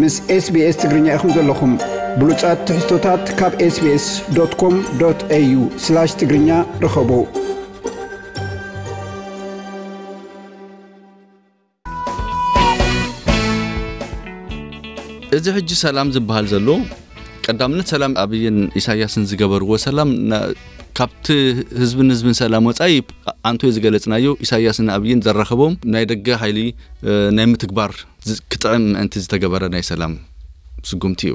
ምስ SBS ትግርኛ ኢኹም ዘለኹም። ብሉጻት ትሕዝቶታት ካብ SBS.com.au/ትግርኛ ርኸቡ። እዚ ሕጂ ሰላም ዝበሃል ዘሎ፣ ቀዳምነት ሰላም ኣብይን ኢሳያስን ዝገበርዎ ሰላም፣ ና-፣ ካብቲ ህዝብን ህዝብን ሰላም ወጻኢ፣ ኣንቶ ዝገለጽናዮ፣ ኢሳያስን ኣብይን ዘራኸቦም ናይ ደገ ሓይሊ፣ እ፣ ናይ ምትግባር ዝ-፣ ክጥዕም ምእንቲ ዝተገበረ ናይ ሰላም ስጉምቲ እዩ።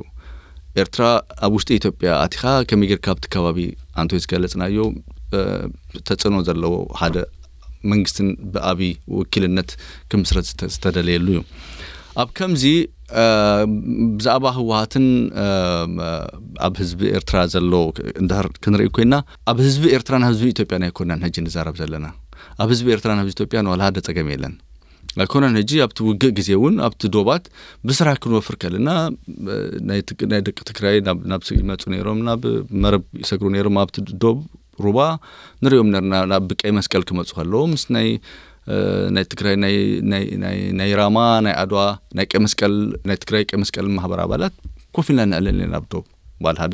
ኤርትራ ኣብ ውሽጢ ኢትዮጵያ ኣቲኻ ከመይ ጌርካ ኣብቲ ከባቢ፣ ኣንቶ ዝገለጽናዮ፣ እ፣ ተጽዕኖ ዘለዎ ሓደ መንግስትን ብኣብይ ውኪልነት ክምስረት ዝተ-፣ ዝተደለየሉ እዩ። ኣብ ከምዚ፣ እ፣ ብዛዕባ ህወሓትን፣ እ፣ ኣብ ህዝቢ ኤርትራ ዘሎ እንድሕር ክንርኢ ኮይና፣ ኣብ ህዝቢ ኤርትራን ህዝቢ ኢትዮጵያን ኣይኮናን ሕጂ ንዛረብ ዘለና። ኣብ ህዝቢ ኤርትራን ህዝቢ ኢትዮጵያን ዋላ ሓደ ጸገም የለን። ኣይኮነን ሕጂ ኣብቲ ውግእ ግዜ እውን ኣብቲ ዶባት ብስራሕ ክንወፍር ከለና፣ እ፣ ናይ ትግ-፣ ናይ ደቂ ትግራይ ናብ፣ ናብ ስ-፣ ይመጹ ነይሮም፣ ናብ መረብ ይሰግሩ ነይሮም። ኣብቲ ዶብ ሩባ ንሪኦም ነርና፣ ናብ ቀይ መስቀል ክመጹ ከለዉ ምስ ናይ፣ እ፣ ናይ ትግራይ ናይ፣ ናይ፣ ናይ፣ ናይ ራማ፣ ናይ ኣድዋ፣ ናይ ቀይ መስቀል፣ ናይ ትግራይ ቀይ መስቀል ማህበር ኣባላት ኮፍ ኢልና ነዕልል ነርና ኣብ ዶብ። በዓል ሓደ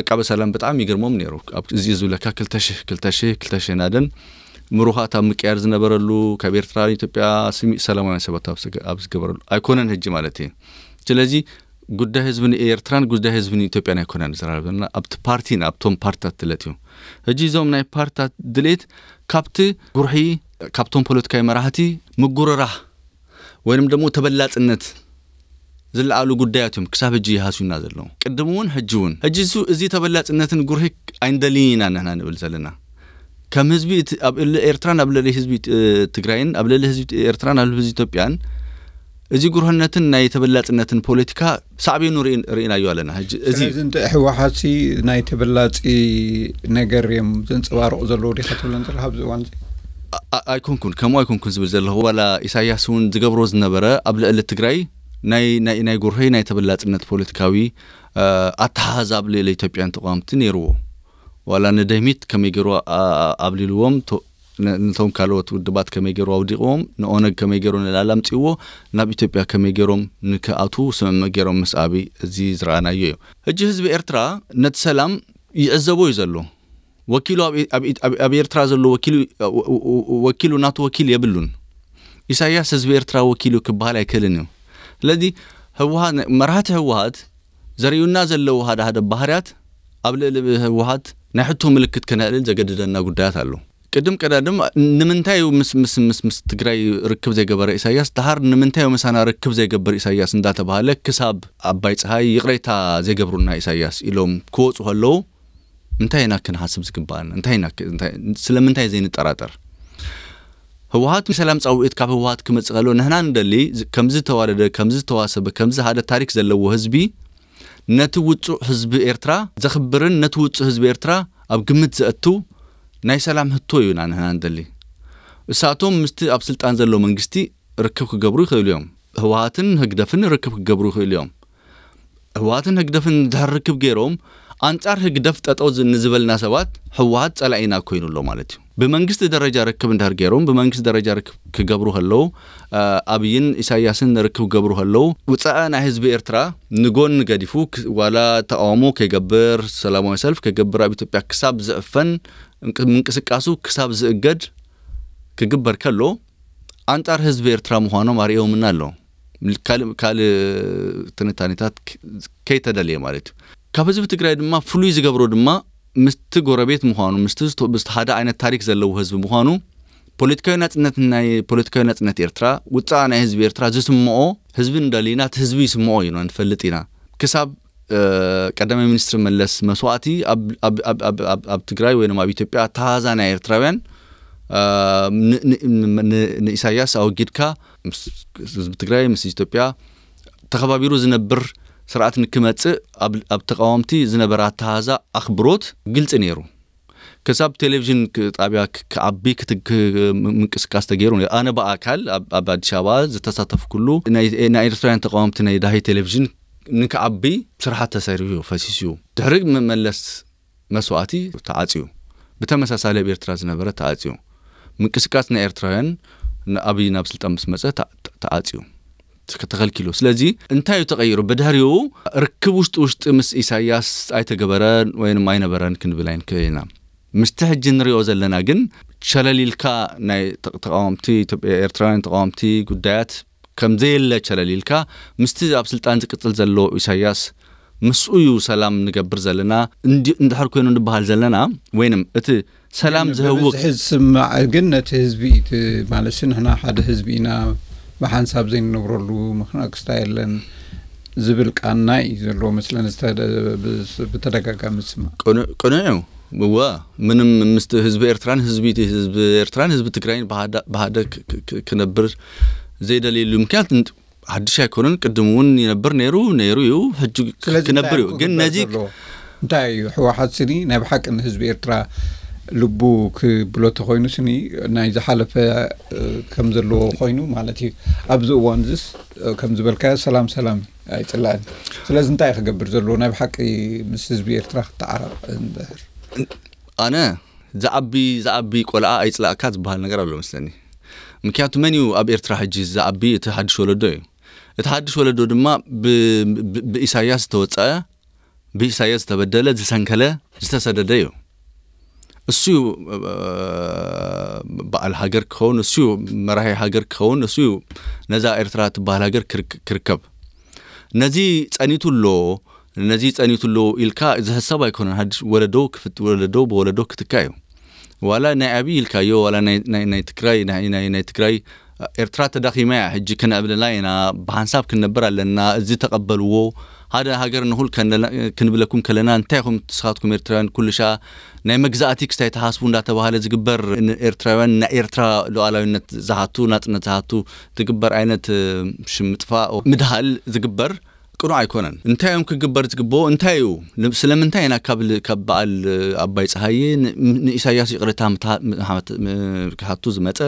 ዓቃቢ ሰላም ብጣዕሚ ይገርሞም ነይሩ። ኣብ እዚ ዝብለካ ክልተ ሽሕ፣ ክልተ ሽሕ፣ ክልተ ሽሕ ናደን ምሩኻት ኣብ ምቅያር ዝነበረሉ፣ ካብ ኤርትራ ንኢትዮጵያ ስሚዕ ሰላማውያን ሰባት ኣብ ዝገ-፣ ኣብ ዝገበረሉ ኣይኮነን ሕጂ ማለት እዩ። ስለዚ ጉዳይ ህዝቢ ንኤርትራን ጉዳይ ህዝቢ ንኢትዮጵያን ኣይኮነን ዝራረብ ዘለና፣ ኣብቲ ፓርቲን ኣብቶም ፓርትታት ድሌት እዩ። ሕጂ እዞም ናይ ፓርትታት ድሌት ካብቲ ጉርሒ፣ ካብቶም ፖለቲካዊ መራሕቲ ምጉርራህ ወይንም ደግሞ ተበላጽነት ዝለዓሉ ጉዳያት እዮም ክሳብ ሕጂ ይሃስዩና ዘለዉ። ቅድም እውን ሕጂ እውን። ሕጂ እሱ፣ እዚ ተበላጽነትን ጉርሒ ኣይንደልይን ኢና ንሕና ንብል ዘለና። ከም ህዝቢ እቲ፣ ኣብ ልዕሊ ኤርትራን ኣብ ልዕሊ ህዝቢ፣ እ፣ ትግራይን፣ ኣብ ልዕሊ ህዝቢ ኤርትራን ኣብ ልዕሊ ህዝቢ ኢትዮጵያን፣ እዚ ጉርህነትን ናይ ተበላጽነትን ፖለቲካ ሳዕቤኑ ርኢ-፣ ርኢናዮ ኣለና። ሕጂ እዚ ስለዚ እንተ ህወሓትሲ ናይ ተበላጺ ነገር እዮም ዘንጸባርቑ ዘለዉ ዲኻ ትብለን ዘለኻ ኣብዚ እዋን እዚ? ኣ-፣ ኣ-፣ ኣይኮንኩን፣ ከምኡ ኣይኮንኩን ዝብል ዘለኹ። ዋላ ኢሳያስ እውን ዝገብሮ ዝነበረ ኣብ ልዕሊ ትግራይ ናይ፣ ናይ፣ ናይ ጉርሂ ናይ ተበላጽነት ፖለቲካዊ፣ እ፣ ኣተሓሕዛ ኣብ ልዕሊ ኢትዮጵያን ተቃወምቲ ነይርዎ። ዋላ ንደህሚት ከመይ ገይሩ ኣ-፣ ኣ-፣ ኣብሊልዎም፣ ቶ-፣ ነ-፣ ነቶም ካልኦት ውድባት ከመይ ገይሩ ኣውዲቕዎም፣ ንኦነግ ከመይ ገይሩ ንላዕሊ ኣምጺእዎ፣ ናብ ኢትዮጵያ ከመይ ገይሮም ንክኣትዉ ስምምዕ ገይሮም ምስ ኣብይ፣ እዚ ዝረኣናዮ እዩ። ሕጂ ህዝቢ ኤርትራ ነቲ ሰላም ይዕዘቦ እዩ ዘሎ። ወኪሉ ኣብ፣ ኣብ፣ ኣብ፣ ኣብ ኤርትራ ዘሎ ወኪሉ፣ ወ-፣ ወ-፣ ወ-፣ ወኪሉ ናቱ ወኪል የብሉን። ኢሳያስ ህዝቢ ኤርትራ ወኪሉ ክበሃል ኣይክእልን እዩ። ስለዚ ህወሓት፣ መራሕቲ ህወሓት ዘርእዩና ዘለዉ ሓደ ሓደ ባህርያት ኣብ ልዕሊ ህወሓት ናይ ሕቶ ምልክት ከነዕልል ዘገድደና ጉዳያት ኣሎ። ቅድም ቀዳድም ንምንታይ እዩ ምስ፣ ምስ፣ ምስ፣ ምስ ትግራይ ርክብ ዘይገበረ ኢሳያስ፣ ደሓር ንምንታይ እዩ ምሳና ርክብ ዘይገብር ኢሳያስ እንዳተባሃለ ክሳብ ኣባይ ፀሃይ ይቕሬታ ዘይገብሩና ኢሳያስ ኢሎም ክወፁ ከለዉ እንታይ ኢና ክንሓስብ ዝግባኣና? እንታይ ኢና ክ-፣ እንታይ፣ ስለምንታይ ዘይንጠራጠር? ህወሓት ሰላም ጻውዒት ካብ ህወሓት ክመጽእ ከሎ ንሕና ንደሊ ዝ-፣ ከምዚ ዝተዋደደ፣ ከምዚ ዝተዋሰበ፣ ከምዚ ሓደ ታሪክ ዘለዎ ህዝቢ ነቲ ውጹዕ ህዝቢ ኤርትራ ዘኽብርን ነቲ ውጹዕ ህዝቢ ኤርትራ ኣብ ግምት ዘእቱ ናይ ሰላም ህቶ እዩና ንሕና ንደሊ። እሳቶም ምስቲ ኣብ ስልጣን ዘሎ መንግስቲ ርክብ ክገብሩ ይኽእሉ እዮም። ህወሓትን ህግደፍን ርክብ ክገብሩ ይኽእሉ እዮም። ህወሓትን ህግደፍን እንድሕር ርክብ ገይሮም ኣንጻር ህግደፍ ጠጠው ዝ-፣ ንዝበልና ሰባት ህወሓት ጸላኢና ኮይኑ ኣሎ ማለት እዩ። ብመንግስቲ ደረጃ ርክብ እንድሕር ገይሮም፣ ብመንግስቲ ደረጃ ርክብ ክገብሩ ከለዉ፣ እ፣ ኣብይን ኢሳያስን ርክብ ክገብሩ ከለዉ፣ ውጻእ ናይ ህዝቢ ኤርትራ ንጎን ገዲፉ ክ-፣ ዋላ ተቃውሞ ከይገብር፣ ሰላማዊ ሰልፍ ከይገብር፣ ኣብ ኢትዮጵያ ክሳብ ዝዕፈን፣ እንቅ-፣ ምንቅስቃሱ ክሳብ ዝእገድ ክግበር ከሎ፣ ኣንጻር ህዝቢ ኤርትራ ምዃኖም ኣርእዮምና ኣለዉ። ካልእ፣ ካልእ ትንታኔታት ክ-፣ ከይተደልየ ማለት እዩ። ካብ ህዝቢ ትግራይ ድማ ፍሉይ ዝገብሮ ድማ ምስቲ ጎረቤት ምዃኑ፣ ምስቲ ዝቶ-፣ ምስቲ ሓደ ዓይነት ታሪክ ዘለዎ ህዝቢ ምዃኑ፣ ፖለቲካዊ ናጽነት ናይ፣ ፖለቲካዊ ናጽነት ኤርትራ፣ ውጻእ ናይ ህዝቢ ኤርትራ ዝስምዖ ህዝቢ እንደልይና፣ እቲ ህዝቢ ይስምዖ እዩ፣ ንፈልጥ ኢና። ክሳብ፣ እ፣ ቀዳማይ ሚኒስትር መለስ መስዋእቲ ኣብ፣ ኣብ፣ ኣብ፣ ኣብ፣ ኣብ፣ ኣብ ትግራይ ወይ ድማ ኣብ ኢትዮጵያ ኣተሃዛ ናይ ኤርትራውያን፣ እ፣ ን-፣ ን-፣ ን-፣ ን-፣ ንኢሳያስ ኣወጊድካ ምስ ህዝቢ ትግራይ፣ ምስ ኢትዮጵያ ተኸባቢሩ ዝነብር ስርዓት ንክመጽእ ኣብ፣ ኣብ ተቃወምቲ ዝነበረ ኣተሃዛ ኣኽብሮት ግልጺ ነይሩ። ክሳብ ቴሌቪዥን ክ-፣ ጣብያ ክ-፣ ክዓቢ ክት-፣ ክ-፣ ም-፣ ምንቅስቃስ ተገይሩ ነይሩ። ኣነ ብኣካል ኣብ፣ ኣብ ኣዲስ ኣበባ ዝተሳተፍኩሉ ናይ፣ ናይ ኤርትራውያን ተቃወምቲ ናይ ዳሂ ቴሌቪዥን ንክዓቢ ስራሓት ተሰሪሑ እዩ፣ ፈሲሱ እዩ። ድሕሪ መ-፣ መለስ መስዋእቲ ተዓጽዩ። ብተመሳሳሊ ኣብ ኤርትራ ዝነበረ ተዓጽዩ። ምንቅስቃስ ናይ ኤርትራውያን ንኣብይ ናብ ስልጣን ምስ መጸ ተዓ-፣ ተዓጽዩ። ተኸልኪሉ። ስለዚ እንታይ እዩ ተቐይሩ? ብድሕሪኡ ርክብ ውሽጢ ውሽጢ ምስ ኢሳያስ ኣይተገበረን ወይንም ኣይነበረን ክንብል ኣይንክእል ኢና። ምስቲ ሕጂ ንሪኦ ዘለና ግን ሸለል ኢልካ ናይ ተቃወምቲ፣ ኤርትራውያን ተቃወምቲ ጉዳያት ከም ዘየለ ሸለል ኢልካ ምስቲ ኣብ ስልጣን ዝቅጽል ዘሎ ኢሳያስ ምስኡ እዩ ሰላም ንገብር ዘለና። እንድሕር ኮይኑ ንበሃል ዘለና ወይንም እቲ ሰላም ዝህውክ ዝስማዕ ግን ነቲ ህዝቢ ማለት ንሕና ሓደ ህዝቢ ኢና፣ ብሓንሳብ ዘይንነብረሉ ምክንያት ክስታ የለን ዝብል ቃና እዩ ዘለዎ መስለን ብተደጋጋሚ ዝስማዕ። ቅኑዕ እዩ። እወ፣ ምንም ምስ ህዝቢ ኤርትራን ህዝቢ ህዝቢ ኤርትራን ህዝቢ ትግራይን ብሃደ ክነብር ዘይደልየሉ ምክንያት ሓድሽ ኣይኮነን። ቅድም እውን ይነብር ነይሩ ነይሩ እዩ፣ ሕጂ ክነብር እዩ። ግን ነዚ እንታይ እዩ ህወሓት ስኒ ናይ ብሓቂ ንህዝቢ ኤርትራ ልቡ ክብሎ ተኮይኑ ስኒ ናይ ዝሓለፈ ከም ዘለዎ ኮይኑ ማለት እዩ። ኣብዚ እዋን ዝስ ከም ዝበልካዮ ሰላም ሰላም ኣይፅላእን። ስለዚ እንታይ ክገብር ዘለዎ ናይ ብሓቂ ምስ ህዝቢ ኤርትራ ክተዓራቕ እንድሕር ኣነ ዝዓቢ ዝዓቢ ቆልዓ ኣይፅላእካ ዝበሃል ነገር ኣሎ መስለኒ። ምክንያቱ መን እዩ ኣብ ኤርትራ ሕጂ ዝዓቢ? እቲ ሓድሽ ወለዶ እዩ። እቲ ሓድሽ ወለዶ ድማ ብኢሳያስ ዝተወፀአ፣ ብኢሳያስ ዝተበደለ፣ ዝሰንከለ፣ ዝተሰደደ እዩ። እሱ እዩ በዓል ሃገር ክኸውን፣ እሱ እዩ መራሒ ሃገር ክኸውን፣ እሱ እዩ ነዛ ኤርትራ ትበሃል ሃገር ክርከብ። ነዚ ጸኒቱ ኣሎ፣ ነዚ ጸኒቱ ኣሎ ኢልካ ዝሕሰብ ኣይኮነን። ሓድሽ ወለዶ ክፍት ወለዶ ብወለዶ ክትካ እዩ። ዋላ ናይ ኣብይ ኢልካዮ ዋላ ናይ ትግራይ ናይ ትግራይ ኤርትራ ተዳኺማ እያ፣ ሕጂ ክነዕብለላ ኢና፣ ብሓንሳብ ክንነብር ኣለና፣ እዚ ተቐበልዎ፣ ሓደ ሃገር ንኹል ክንብለኩም ከለና እንታይ ኢኹም ንስኻትኩም ኤርትራውያን ኩሉ ሻ ናይ መግዛእቲ ክስታይ ተሓስቡ እንዳተባሃለ ዝግበር ኤርትራውያን ናይ ኤርትራ ሉዓላዊነት ዝሓቱ ናጽነት ዝሓቱ ዝግበር ዓይነት ሽምጥፋ ምድሃል ዝግበር ቅኑዕ ኣይኮነን። እንታይ እዮም ክግበር ዝግብኦ? እንታይ እዩ? ስለምንታይ ኢና ካብ በዓል ኣባይ ፀሃየ ንኢሳያስ ይቕሬታ ክሓቱ ዝመፀ?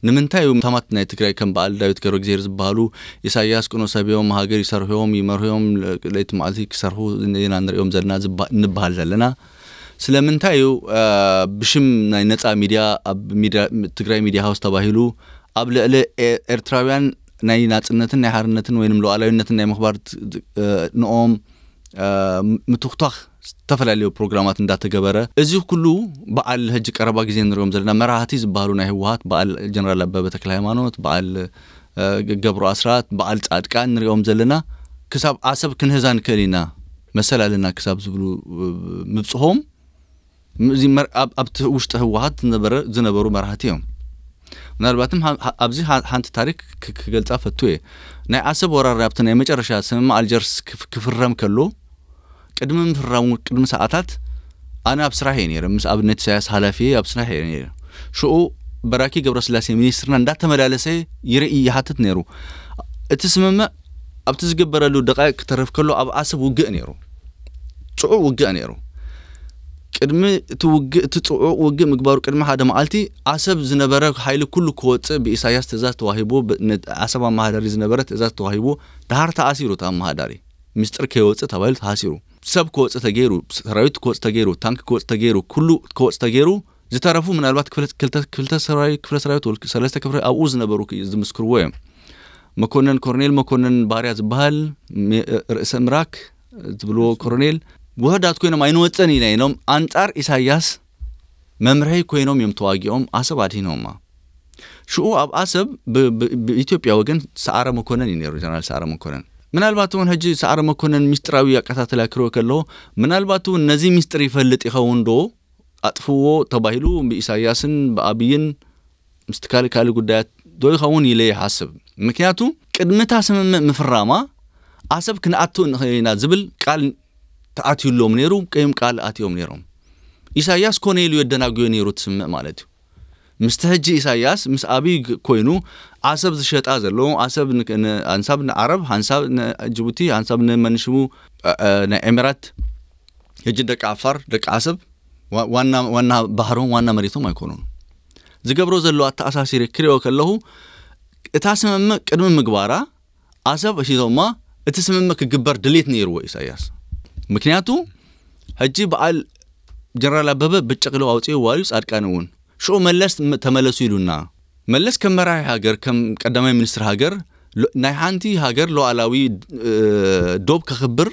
ንምንታይ እዩ ታማት ናይ ትግራይ ከም በዓል ዳዊት ገብረእግዚኣብሔር ዝበሃሉ ኢሳያስ ቅኑዕ ሰብ እዮም፣ ሃገር ይሰርሑ እዮም፣ ይመርሑ እዮም፣ ለይቲ መዓልቲ ክሰርሑ ኢና ንሪኦም ዘለና እንበሃል ዘለና? ስለምንታይ እዩ ብሽም ናይ ነፃ ሚድያ ኣብ ትግራይ ሚድያ ሃውስ ተባሂሉ ኣብ ልዕሊ ኤርትራውያን ናይ ናፅነትን ናይ ሓርነትን ወይም ሉዓላዊነትን ናይ ምኽባር ንኦም ምትኽቷኽ ዝተፈላለዩ ፕሮግራማት እንዳተገበረ፣ እዚ ኩሉ በዓል ሕጂ ቀረባ ግዜ ንሪኦም ዘለና መራህቲ ዝበሃሉ ናይ ህወሓት በዓል ጀነራል ኣበበ ተክለ ሃይማኖት፣ በዓል ገብሩ ኣስራት፣ በዓል ፃድቃን ንሪኦም ዘለና ክሳብ ዓሰብ ክንህዛ ንክእል ኢና መሰል ኣለና ክሳብ ዝብሉ ምብፅሖም ኣብቲ ውሽጢ ህወሓት ዝነበሩ መራህቲ እዮም። ምናልባትም ኣብዚ ሓንቲ ታሪክ ክገልፃ ፈቱ እየ። ናይ ዓሰብ ወራር ኣብቲ ናይ መጨረሻ ስምምዕ ኣልጀርስ ክፍረም ከሎ ቅድሚ ምፍራሙ ቅድሚ ሰዓታት ኣነ ኣብ ስራሕ እየ ነይረ፣ ምስ ኣብነት ኢሳያስ ሓላፊ ኣብ ስራሕ እየ ነይረ። ሽኡ በራኪ ገብረስላሴ ሚኒስትርና እንዳተመላለሰ ይርኢ ይሓትት ነይሩ። እቲ ስምምዕ ኣብቲ ዝግበረሉ ደቃይቅ ክተርፍ ከሎ ኣብ ዓሰብ ውግእ ነይሩ፣ ጽዑቕ ውግእ ነይሩ። ቅድሚ እቲ ውግእ እቲ ጽዑቕ ውግእ ምግባሩ ቅድሚ ሓደ መዓልቲ ዓሰብ ዝነበረ ሓይሊ ኩሉ ክወጽእ ብኢሳያስ ትእዛዝ ተዋሂቡ፣ ዓሰብ ኣመሓዳሪ ዝነበረ ትእዛዝ ተዋሂቡ፣ ድሓር ተኣሲሩ እቲ ኣመሓዳሪ። ሚስጥር ከይወጽእ ተባሂሉ ተሃሲሩ። ሰብ ክወጽእ ተገይሩ፣ ሰራዊት ክወጽእ ተገይሩ፣ ታንክ ክወጽእ ተገይሩ፣ ኩሉ ክወጽእ ተገይሩ፣ ዝተረፉ ምናልባት ክፍለ ሰራዊት ክፍለ ሰራዊት ወልክ ሰለስተ ክፍለ ኣብኡ ዝነበሩ ዝምስክርዎ እዮም። መኮነን ኮርኔል መኮነን ባርያ ዝበሃል ርእሰ ምራክ ዝብልዎ ኮርኔል ውሕዳት ኮይኖም ኣይንወፀን ኢና ኢሎም ኣንፃር ኢሳያስ መምርሒ ኮይኖም እዮም ተዋጊኦም ዓሰብ ኣድሂኖማ። ሽኡ ኣብ ዓሰብ ብኢትዮጵያ ወገን ሰዓረ መኮነን እዩ ነይሩ፣ ጀነራል ሰዓረ መኮነን። ምናልባት እውን ሕጂ ሰዓረ መኮነን ሚስጥራዊ ኣቀታተላ ክርኦ ከለዎ ምናልባት እውን ነዚ ሚስጥር ይፈልጥ ይኸውን ዶ ኣጥፍዎ ተባሂሉ ብኢሳያስን ብኣብይን ምስቲ ካልእ ካልእ ጉዳያት ዶ ይኸውን ኢለ ይሓስብ። ምክንያቱ ቅድሚ እታ ስምምዕ ምፍራማ ዓሰብ ክንኣቱ ንኽእል ኢና ዝብል ቃል ተኣትዩሎም ነይሩ፣ ቀይም ቃል ኣትዮም ነይሮም። ኢሳያስ ኮነ ኢሉ የደናጉዮ ነይሩ ትስምዕ ማለት እዩ። ምስቲ ሕጂ ኢሳያስ ምስ ኣብይ ኮይኑ ዓሰብ ዝሸጣ ዘሎ ዓሰብ ኣንሳብ ንዓረብ፣ ሓንሳብ ንጅቡቲ፣ ሓንሳብ ንመንሽሙ ናይ ኤሚራት፣ ሕጂ ደቂ ዓፋር ደቂ ዓሰብ ዋና ዋና ባህሮም ዋና መሬቶም ኣይኮኑን። ዝገብሮ ዘሎ ኣተኣሳሲሪ ክሪኦ ከለኹ እታ ስምምዕ ቅድሚ ምግባራ ዓሰብ እሺቶማ እቲ ስምምዕ ክግበር ድሌት ነይርዎ ኢሳያስ። ምክንያቱ ሕጂ በዓል ጀነራል ኣበበ ብጭቕሎ ኣውፅኡ ዋልዩ ፃድቃን እውን ሽኡ መለስ ተመለሱ ኢሉና። መለስ ከም መራሒ ሃገር ከም ቀዳማይ ሚኒስትር ሃገር ሎ- ናይ ሓንቲ ሃገር ሉዓላዊ እ፣ ዶብ ከኽብር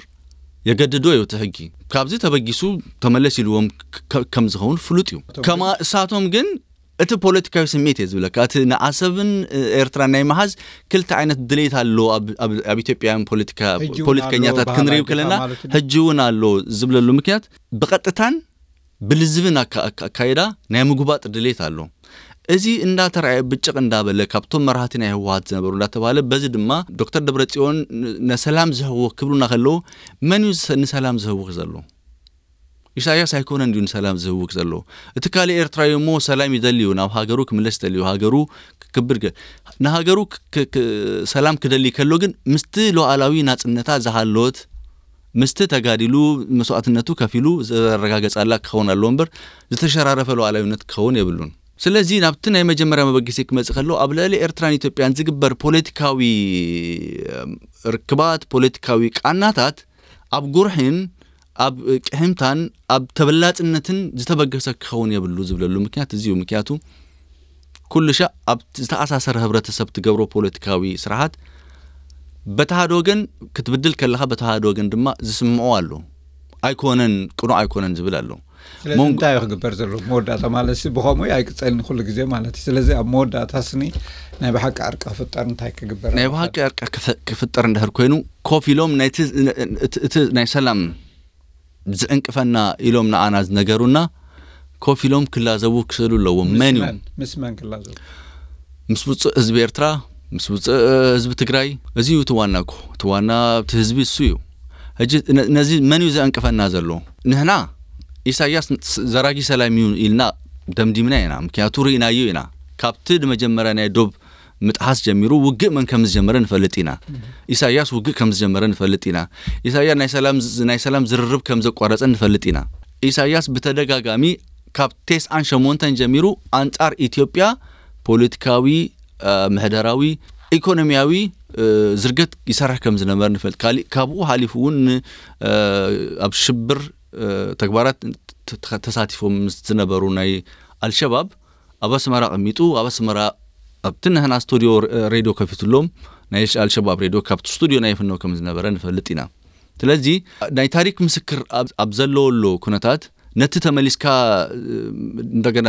የገድዶ እዩ እቲ ሕጊ። ካብዚ ተበጊሱ ተመለስ ኢልዎም ከ- ከም ዝኸውን ፍሉጥ እዩ። ከማ እሳቶም ግን እቲ ፖለቲካዊ ስሜት እየ ዝብለካ፣ እቲ ንዓሰብን ኤርትራን ናይ መሓዝ ክልተ ዓይነት ድሌት ኣሎ ኣብ ኢትዮጵያውያን ፖለቲከኛታት ክንሪው ከለና፣ ሕጂ እውን ኣሎ ዝብለሉ ምክንያት ብቐጥታን ብልዝብን ኣካይዳ ናይ ምጉባጥ ድሌት ኣሎ። እዚ እንዳተራየ ብጭቕ እንዳበለ ካብቶም መራህቲ ናይ ህወሓት ዝነበሩ እንዳተባለ፣ በዚ ድማ ዶክተር ደብረጽዮን ነሰላም ዝህወክ ክብሉና ከለዉ፣ መን እዩ ንሰላም ዝህውክ ዘሎ? ኢሳያስ ኣይኮነን ድዩ ንሰላም ዝህውክ ዘሎ? እቲ ካልእ ኤርትራዊ እሞ ሰላም ይደሊ እዩ፣ ናብ ሃገሩ ክምለስ ይደሊ እዩ፣ ሃገሩ ክክብር ገ- ንሃገሩ ክ- ክ- ክ- ሰላም ክደሊ ከሎ ግን ምስቲ ሉዓላዊ ናጽነታ ዝሃሎት ምስቲ ተጋዲሉ መስዋዕትነቱ ከፊሉ ዘረጋገጻላ ክኸውን ኣለዎ እምበር ዝተሸራረፈ ሉዓላዊነት ክኸውን የብሉን። ስለዚ ናብቲ ናይ መጀመርያ መበገሲ ክመጽእ ከሎ ኣብ ልዕሊ ኤርትራን ኢትዮጵያን ዝግበር ፖለቲካዊ ርክባት ፖለቲካዊ ቃናታት ኣብ ጉርሒን ኣብ ቅሕምታን ኣብ ተበላጽነትን ዝተበገሰ ክኸውን የብሉ ዝብለሉ ምክንያት እዚ እዩ። ምክንያቱ ኩሉ ሻዕ ኣብ ዝተኣሳሰረ ህብረተሰብ ትገብሮ ፖለቲካዊ ስርሓት በቲ ሓደ ወገን ክትብድል ከለኻ በቲ ሓደ ወገን ድማ ዝስምዖ ኣሎ። ኣይኮነን ቅኑዕ ኣይኮነን ዝብል ኣሎ። ስለዚ እንታይ እዩ ክግበር ዘለዎ? መወዳእታ ማለት ሲ ብኸምኡ እዩ ኣይቅጸልን ኩሉ ግዜ ማለት እዩ። ስለዚ ኣብ መወዳእታ ስኒ ናይ ብሓቂ ዕርቂ ክፍጠር እንታይ ክግበር ናይ ኣለዎ? ብሓቂ ዕርቂ ክፈ- ክፍጠር እንድሕር ኮይኑ ኮፍ ኢሎም ናይቲ እቲ ናይ ሰላም ዝዕንቅፈና ኢሎም ንዓና ዝነገሩና ኮፍ ኢሎም ክላዘቡ ክስእሉ ኣለዎም። መን እዩ? ምስ መን ክላዘቡ? ምስ ውፅእ ህዝቢ ኤርትራ፣ ምስ ውፅእ ህዝቢ ትግራይ። እዚ እዩ እቲ ዋና እኮ። እቲ ዋና እቲ ህዝቢ እሱ እዩ። ሕጂ ነዚ መን እዩ ዘዕንቅፈና ዘሎ? ንሕና ኢሳያስ ዘራጊ ሰላም እዩ ኢልና ደምዲምና ኢና። ምክንያቱ ርኢናዮ ኢና። ካብቲ ንመጀመርያ ናይ ዶብ ምጥሓስ ጀሚሩ ውግእ መን ከም ዝጀመረ ንፈልጥ ኢና። ኢሳያስ ውግእ ከም ዝጀመረ ንፈልጥ ኢና። ኢሳያስ ናይ ሰላም ናይ ሰላም ዝርርብ ከም ዘቋረጸ ንፈልጥ ኢና። ኢሳያስ ብተደጋጋሚ ካብ ቴስዓን ሸሞንተን ጀሚሩ ኣንጻር ኢትዮጵያ ፖለቲካዊ፣ ምሕደራዊ፣ ኢኮኖሚያዊ ዝርገት ይሰርሕ ከም ዝነበረ ንፈልጥ። ካሊእ ካብኡ ሓሊፉ እውን ኣብ ሽብር ተግባራት ተሳቲፎም ዝነበሩ ናይ ኣልሸባብ ኣብ ኣስመራ ኣቐሚጡ ኣብ ኣስመራ ኣብቲ ንሕና ስቱዲዮ ሬድዮ ከፊትሎም ናይ ኣልሸባብ ሬድዮ ካብቲ ስቱዲዮ ናይ ፍነው ከም ዝነበረ ንፈልጥ ኢና። ስለዚ ናይ ታሪክ ምስክር ኣብ ዘለወሉ ኩነታት ነቲ ተመሊስካ እንደገና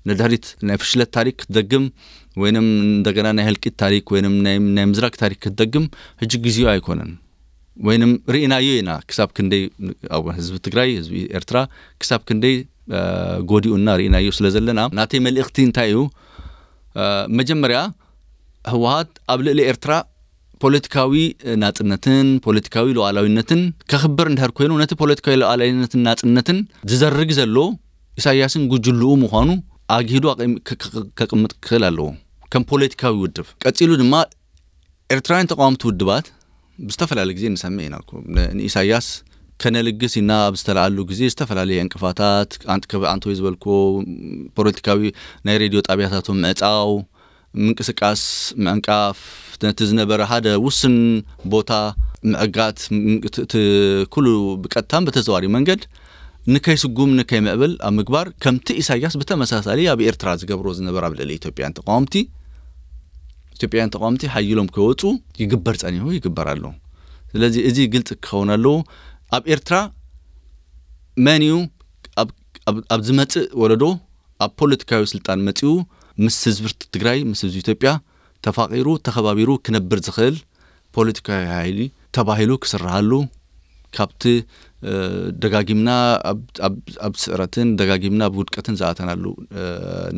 ንድሕሪት ናይ ፍሽለት ታሪክ ክትደግም ወይንም እንደገና ናይ ህልቂት ታሪክ ወይንም ናይ ምዝራግ ታሪክ ክትደግም ሕጂ ግዜኡ ኣይኮነን። ወይንም ርኢናዮ ኢና ክሳብ ክንደይ ኣብ ህዝቢ ትግራይ ህዝቢ ኤርትራ ክሳብ ክንደይ ጎዲኡና ርኢናዮ ስለ ዘለና ናተይ መልእኽቲ እንታይ እዩ? መጀመርያ ህወሓት ኣብ ልዕሊ ኤርትራ ፖለቲካዊ ናጽነትን ፖለቲካዊ ሉዓላዊነትን ከኽብር እንድሕር ኮይኑ ነቲ ፖለቲካዊ ሉዓላዊነትን ናጽነትን ዝዘርግ ዘሎ ኢሳያስን ጉጅልኡ ምዃኑ ኣግሂዱ ከቕምጥ ክኽእል ኣለዎ ከም ፖለቲካዊ ውድብ። ቀጺሉ ድማ ኤርትራውያን ተቃወምቲ ውድባት ብዝተፈላለየ ግዜ ንሰምዕ ኢና። ንኢሳያስ ከነልግስ ኢና ኣብ ዝተለዓሉ ግዜ ዝተፈላለየ ዕንቅፋታት ኣንተ ዝበልክዎ ፖለቲካዊ ናይ ሬድዮ ጣብያታቶም ምዕፃው ምንቅስቃስ ምዕንቃፍ ነቲ ዝነበረ ሓደ ውስን ቦታ ምዕጋት እቲ ኩሉ ብቀጥታን በተዘዋሪ መንገድ ንከይስጉም ንከይምዕብል ኣብ ምግባር ከምቲ ኢሳያስ ብተመሳሳሊ ኣብ ኤርትራ ዝገብሮ ዝነበረ ኣብ ልዕሊ ኢትዮጵያን ተቃወምቲ ኢትዮጵያን ተቃወምቲ ሓይሎም ከወፁ ይግበር ጸኒሑ ይግበር ኣሎ። ስለዚ እዚ ግልፂ ክኸውን ኣለዎ። ኣብ ኤርትራ መን እዩ ኣብ ዝመፅእ ወለዶ ኣብ ፖለቲካዊ ስልጣን መፂኡ ምስ ህዝቢ ትግራይ ምስ ህዝቢ ኢትዮጵያ ተፋቂሩ ተኸባቢሩ ክነብር ዝኽእል ፖለቲካዊ ሓይሊ ተባሂሉ ክስርሃሉ ካብቲ ደጋጊምና ኣብ ስዕረትን ደጋጊምና ኣብ ውድቀትን ዝኣተናሉ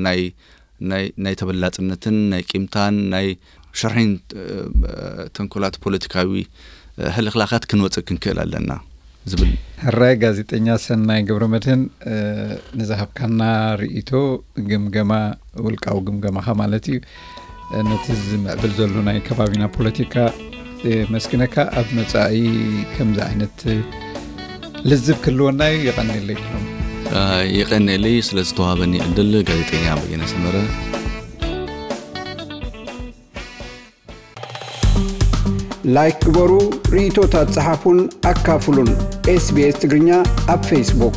ናይ ናይ ተበላፅነትን ናይ ቂምታን ናይ ሽርሒን ተንኮላት ፖለቲካዊ ሕልኽላኻት ክንወፅእ ክንክእል ኣለና ዝብል። ሕራይ ጋዜጠኛ ሰናይ ገብረመድህን ንዝሃብካና ርእይቶ ግምገማ ውልቃዊ ግምገማኻ ማለት እዩ ነቲ ዝምዕብል ዘሎ ናይ ከባቢና ፖለቲካ መስግነካ ኣብ መፃኢ ከምዚ ዓይነት ልዝብ ክህልወና እዩ። የቐንየለይ። የቐንየለይ ስለ ዝተዋሃበኒ ዕድል ጋዜጠኛ በየነ ሰመረ። ላይክ ግበሩ፣ ርእይቶታት ጸሓፉን ኣካፍሉን። ኤስቢኤስ ትግርኛ ኣብ ፌስቡክ።